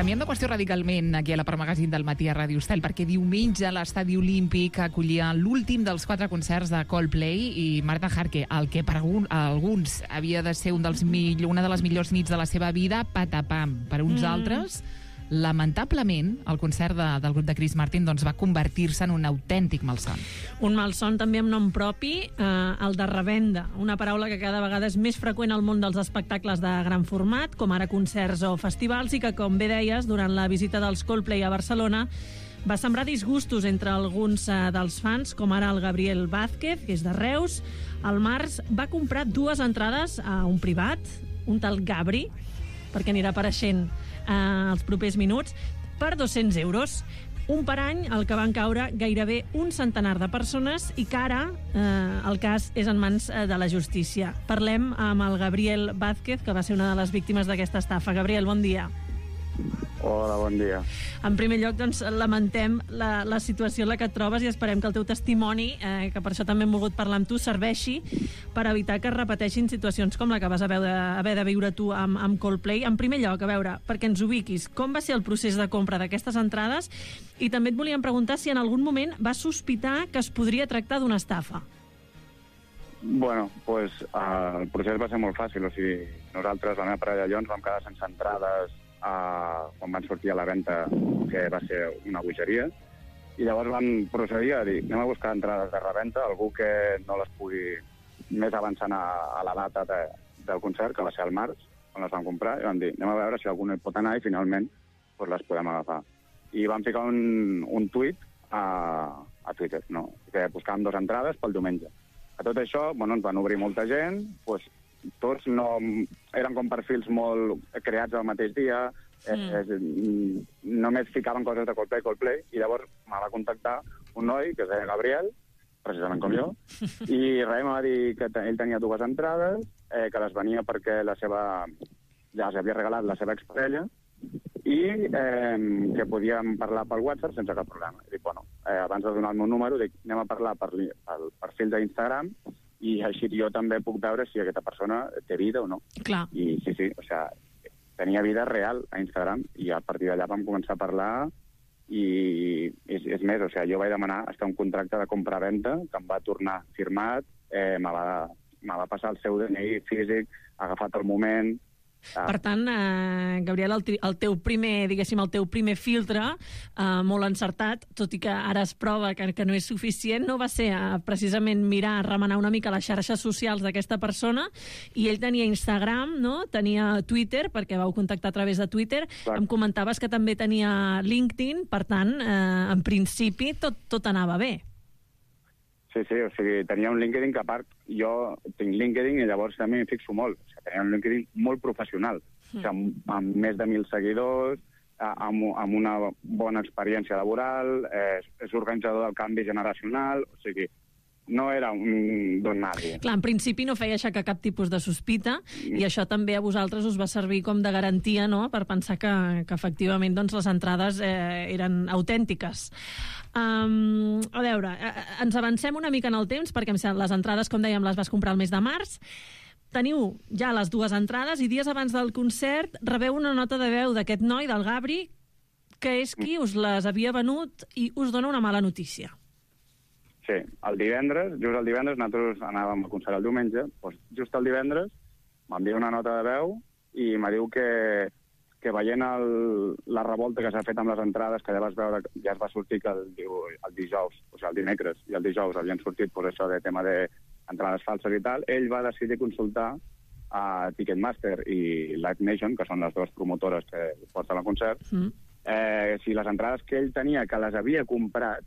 canviem de qüestió radicalment aquí a la Part Magazine del matí a Ràdio Estel, perquè diumenge l'Estadi Olímpic acollia l'últim dels 4 concerts de Coldplay i Marta Harke, el que per alguns havia de ser una de les millors nits de la seva vida, patapam. Per uns altres, lamentablement, el concert del grup de Chris Martin doncs, va convertir-se en un autèntic malson. Un malson també amb nom propi, el de revenda, una paraula que cada vegada és més freqüent al món dels espectacles de gran format, com ara concerts o festivals, i que, com bé deies, durant la visita dels Coldplay a Barcelona va sembrar disgustos entre alguns dels fans, com ara el Gabriel Vázquez, que és de Reus. Al març va comprar 2 entrades a un privat, un tal Gabri, perquè anirà apareixent els propers minuts, per 200 euros. Un per any, al que van caure gairebé un centenar de persones i que ara el cas és en mans de la justícia. Parlem amb el Gabriel Vázquez, que va ser una de les víctimes d'aquesta estafa. Gabriel, bon dia. Hola, bon dia. En primer lloc, doncs, lamentem la situació en la que et trobes i esperem que el teu testimoni, que per això també hem volgut parlar amb tu, serveixi per evitar que es repeteixin situacions com la que vas haver de viure tu amb Coldplay. En primer lloc, a veure, perquè ens ubiquis, com va ser el procés de compra d'aquestes entrades? I també et volíem preguntar si en algun moment vas sospitar que es podria tractar d'una estafa. Bueno, pues, el procés va ser molt fàcil. O sigui, nosaltres, la meva parella i jo, ens vam quedar sense entrades quan van sortir a la venda, que va ser una bogeria, i llavors van procedir a dir, anem a buscar entrades de reventa, algú que no les pugui més avançant a la data del concert, que va ser al març, on les van comprar, i vam dir, anem a veure si algú no hi pot anar i finalment pues, les podem agafar. I vam ficar un tuit a Twitter, no? Que buscàvem 2 entrades pel diumenge. A tot això, bueno, ens van obrir molta gent, pues, tots no eren com perfils molt creats al mateix dia, només ficaven coses de Coldplay, i llavors me va contactar un noi que es deia Gabriel, precisament com jo, i res, em va dir que ell tenia 2 entrades, que les venia perquè ja els havia regalat la seva exparella, i que podíem parlar pel WhatsApp sense cap problema. I dic, bueno, abans de donar el meu número, dic, anem a parlar pel perfil d'Instagram, i així jo també puc veure si aquesta persona té vida o no. Clar. I sí, o sigui, tenia vida real a Instagram, i a partir d'allà vam començar a parlar, i és més, o sigui, jo vaig demanar hasta un contracte de compra-venda que em va tornar firmat, me va passar el seu DNI físic, agafat al moment. Per tant, Gabriel, el teu primer filtre, molt encertat, tot i que ara es prova que no és suficient, no va ser precisament mirar, remenar una mica les xarxes socials d'aquesta persona, i ell tenia Instagram, no? Tenia Twitter, perquè vau contactar a través de Twitter. Clar. Em comentaves que també tenia LinkedIn, per tant, en principi tot anava bé. Sí, o sigui, tenia un LinkedIn que, a part, jo tinc LinkedIn i llavors també m'hi fixo molt. O sigui, tenia un LinkedIn molt professional, o sigui, amb més de 1.000 seguidors, amb una bona experiència laboral, és organitzador del canvi generacional, o sigui, no era un don nadie. Clar, en principi no feia aixecar cap tipus de sospita, i això també a vosaltres us va servir com de garantia, no?, per pensar que efectivament doncs, les entrades eren autèntiques. A veure, ens avancem una mica en el temps, perquè les entrades, com dèiem, les vas comprar el mes de març. Teniu ja les 2 entrades i dies abans del concert rebeu una nota de veu d'aquest noi, del Gabri, que és qui us les havia venut i us dona una mala notícia. Sí, just el divendres, nosaltres anàvem a concert el diumenge, doncs just el divendres m'envia una nota de veu i me diu que veient la revolta que s'ha fet amb les entrades, que ja vas veure, ja es va sortir que el dijous, o sigui, el dimecres i el dijous havien sortit per això de tema d'entrades falses i tal, ell va decidir consultar a Ticketmaster i Live Nation, que són les 2 promotores que porten el concert, si les entrades que ell tenia, que les havia comprat,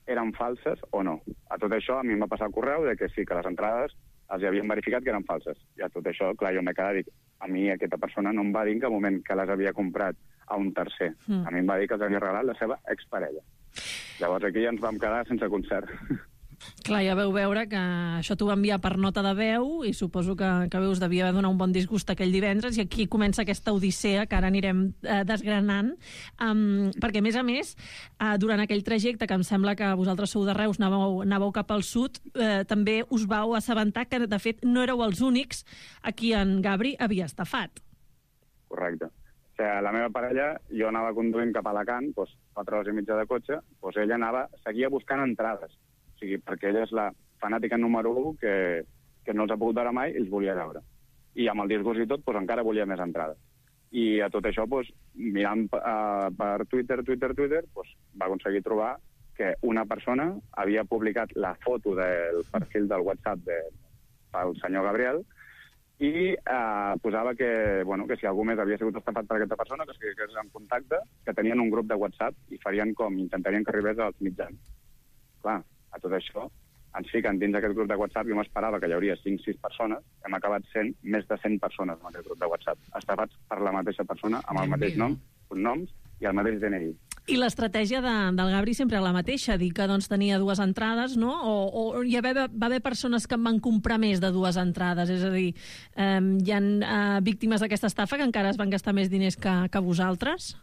eren falses o no. A tot això, a mi em va passar el correu de que sí, que les entrades els havien verificat que eren falses. I a tot això, clar, jo m'he quedat, dic, a mi aquesta persona no em va dir en cap moment que les havia comprat a un tercer. A mi em va dir que els havia regalat la seva exparella. Llavors aquí ja ens vam quedar sense concert. Clar, ja veu veure que això t'ho va enviar per nota de veu i suposo que us devia donar un bon disgust aquell divendres, i aquí comença aquesta odissea que ara anirem desgranant, perquè a més, durant aquell trajecte, que em sembla que vosaltres sou de Reus, anàveu cap al sud, també us vau assabentar que de fet no éreu els únics a qui en Gabri havia estafat. Correcte. O sigui, la meva parella, jo anava conduint cap a Alacant, 4 hores i mitja de cotxe, ella seguia buscant entrades. O sigui, perquè ella és la fanàtica número 1 que no els ha pogut veure mai i els volia veure. I amb el disgust i tot, encara volia més entrades. I a tot això, mirant per Twitter, va aconseguir trobar que una persona havia publicat la foto del perfil del WhatsApp del senyor Gabriel i posava que si algú més havia sigut estafat per aquesta persona, que es fiqués en contacte, que tenien un grup de WhatsApp i intentarien que arribés als mitjans. Clar, a tot això ens fiquen dins d'aquest grup de WhatsApp. Jo m'esperava que hi hauria 5-6 persones. Hem acabat sent més de 100 persones en aquest grup de WhatsApp, estafats per la mateixa persona, amb el mateix nom, cognoms i el mateix DNI. I l'estratègia del Gabri sempre la mateixa, dir que tenia 2 entrades, no? O va haver persones que en van comprar més de 2 entrades? És a dir, hi ha víctimes d'aquesta estafa que encara es van gastar més diners que vosaltres?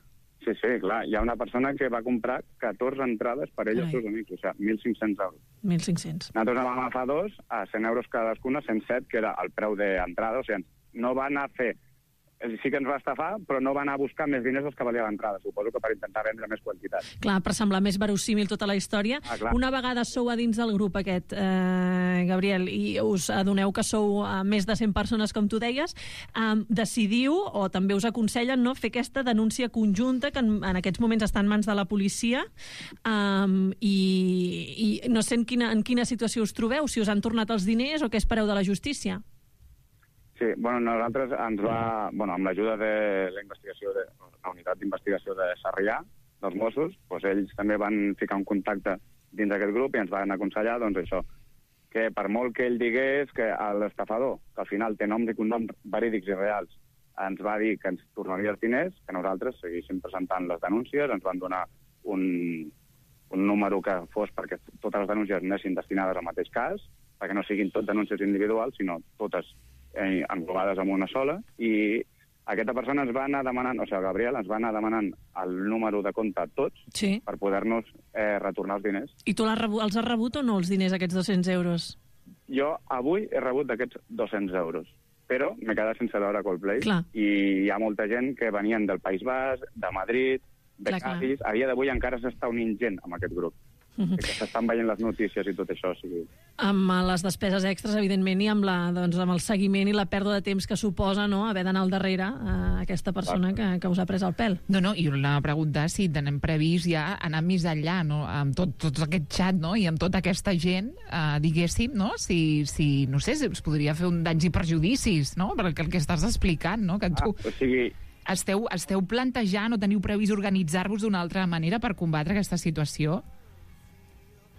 Sí, clar. Hi ha una persona que va comprar 14 entrades per ell i els seus amics, o sigui, 1.500 euros. 1.500. Nosaltres en vam agafar 2 a 100 euros cadascuna, 107, que era el preu d'entrada. O sigui, no va anar a fer... Sí que ens va estafar, però no va anar a buscar més diners dels que valia l'entrada. Suposo que per intentar vendre més quantitat. Clar, per semblar més verossímil tota la història. Una vegada sou a dins del grup aquest, Gabriel, i us adoneu que sou més de 100 persones, com tu deies, decidiu, o també us aconsellen, no, fer aquesta denúncia conjunta que en aquests moments està en mans de la policia, i no sé en quina situació us trobeu, si us han tornat els diners o què espereu de la justícia. Sí, nosaltres amb l'ajuda de la unitat d'investigació de Sarrià, dels Mossos, ells també van ficar un contacte dins d'aquest grup i ens van aconsellar, això, que per molt que ell digués que l'estafador, que al final té noms i cognoms verídics i reals, ens va dir que ens tornaria els diners, que nosaltres seguíssim presentant les denúncies, ens van donar un número que fos perquè totes les denúncies anessin destinades al mateix cas, perquè no siguin tot denúncies individuals, sinó totes englobades en una sola, i aquesta persona ens va anar demanant, o sigui, el Gabriel ens va anar demanant el número de compte a tots per poder-nos retornar els diners. I tu els has rebut o no, els diners, aquests 200 euros? Jo avui he rebut d'aquests 200 euros, però m'he quedat sense veure Coldplay. I hi ha molta gent que venien del País Basc, de Madrid, de Cádiz. A dia d'avui encara s'està unint gent amb aquest grup. Que s'estan veient les notícies i tot això. Amb les despeses extres, evidentment, i amb el seguiment i la pèrdua de temps que suposa haver d'anar al darrere aquesta persona que us ha pres el pèl. I la pregunta és si tenem previst ja anar més enllà, amb tot aquest xat i amb tota aquesta gent, diguéssim, si no sé, si us podria fer un danys i perjudicis, perquè el que estàs explicant, que tu... Esteu plantejant o teniu previst organitzar-vos d'una altra manera per combatre aquesta situació?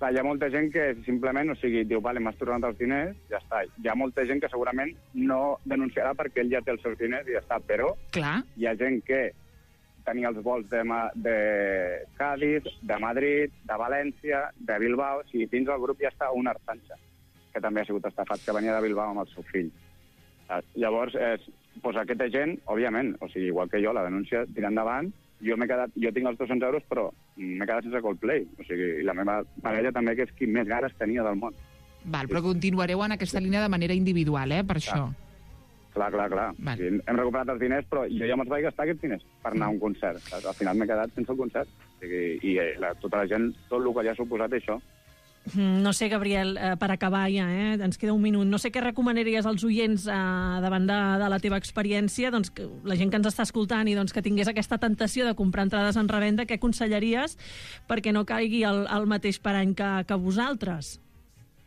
Hi ha molta gent que simplement, diu, vale, m'has tornat els diners, ja està. Hi ha molta gent que segurament no denunciarà perquè ell ja té els seus diners i ja està, però hi ha gent que tenia els vols de Cádiz, de Madrid, de València, de Bilbao, dins del grup ja està un Arsancha, que també ha sigut estafat, que venia de Bilbao amb el seu fill. Llavors, aquesta gent, òbviament, igual que jo, la denúncia tira endavant. Jo tinc els 200 euros, però m'he quedat sense Coldplay. I la meva parella també, que és qui més ganes tenia del món. Però continuareu en aquesta línia de manera individual, per això. Clar. Hem recuperat els diners, però jo ja me'ls vaig gastar aquests diners per anar a un concert. Al final m'he quedat sense el concert. I tota la gent, tot el que ja ha suposat això. No sé, Gabriel, per acabar ja, ens queda un minut. No sé què recomanaries als oients davant de la teva experiència, que la gent que ens està escoltant i que tingués aquesta tentació de comprar entrades en revenda, què aconsellaries perquè no caigui el mateix parany que vosaltres?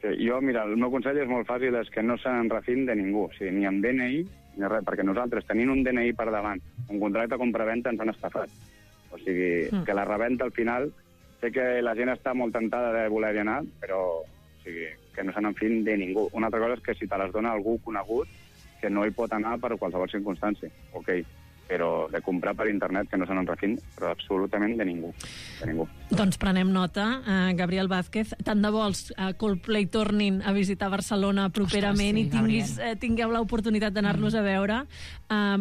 Jo, mira, el meu consell és molt fàcil, és que no se n'enrefin de ningú, ni amb DNI ni res, perquè nosaltres, tenint un DNI per davant, un contracte de compraventa, ens han estafat. Que la reventa al final... Sé que la gent està molt tentada de voler-hi anar, però que no se n'enfin de ningú. Una altra cosa és que si te les dona algú conegut, que no hi pot anar per qualsevol circumstància, però de comprar per internet que no se n'enrefin, però absolutament de ningú. Doncs prenem nota, Gabriel Vázquez. Tant de bo els Coldplay tornin a visitar Barcelona properament. Ostres, sí, i tingueu l'oportunitat d'anar-los a veure.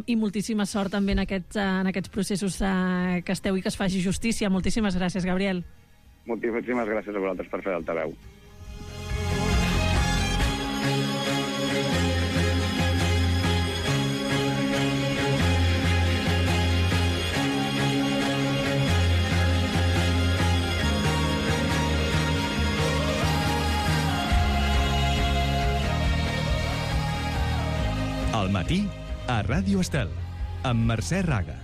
I moltíssima sort també en aquests processos que esteu i que es faci justícia. Moltíssimes gràcies, Gabriel. Moltíssimes gràcies a vosaltres per fer d'altaveu. Al matí, a Ràdio Estel, amb Mercè Raga.